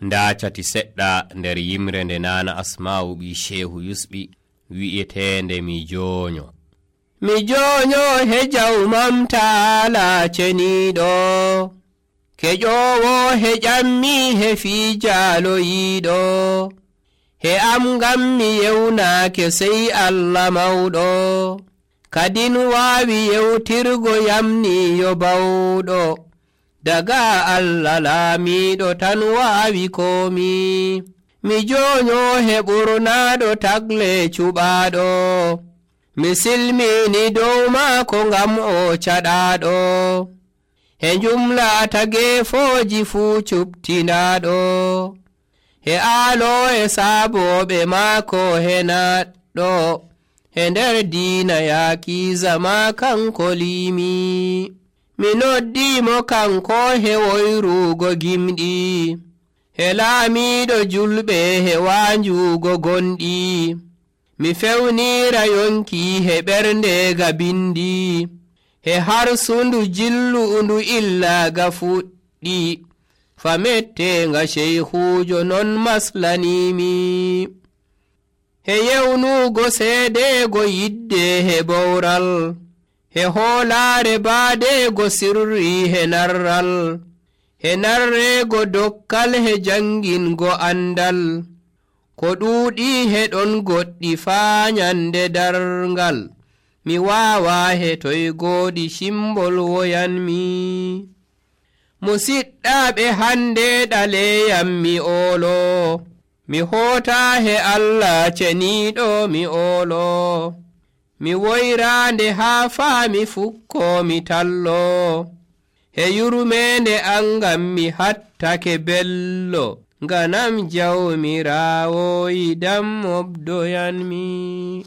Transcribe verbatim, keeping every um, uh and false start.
ndaacati seɗɗa nder yimre nde nana Asma'u ɓi Shehu Yusɓi wi'etende mi jonyo. Mi jonyo he jawmam taala ceniɗo, keƴowo he ƴammi he fiijaloyiɗo, he am ngam mi yewnake sey Allah mawɗo, kadin waawi yewtirgo yamniyo bawɗo, daga Allah laamiɗo tan waawi komi. Mi jonyo he ɓurnaɗo tagle cuɓaɗo, mi silmini dow maako ngam o caɗaɗo, he jumlata gefoji fuu cuɓtinaɗo, he aalo e saaboɓe maako he naɗɗo, he nder diina yaaki zama kanko liimi. Mi noddimo kanko he woyrugo gimɗi, he laamiɗo julɓe he wanjugo gonɗi, mi fewnira yonki he ɓernde ga bindi, he harsundu jillu'undu illaga fuɗɗi, famettenga sheyhujo non maslanimi. He yewnugo seedego yidde he bowral, he hoolare baadego sirri he narral, he narrego dokkal he jangingo andal, ko ɗuuɗi he ɗon goɗɗi faa nyande darngal, mi waawa he toy gooɗi shimbol woyanmi. Musiɗɗaɓe hande ɗaleyam mi oolo, mi hoota he Allah ceniɗo mi oolo, mi woyrande haa faa mi fukko mi tallo, he yurmende angam mi hattake bello, ganam jawmirawo yidam mobdoyanmi.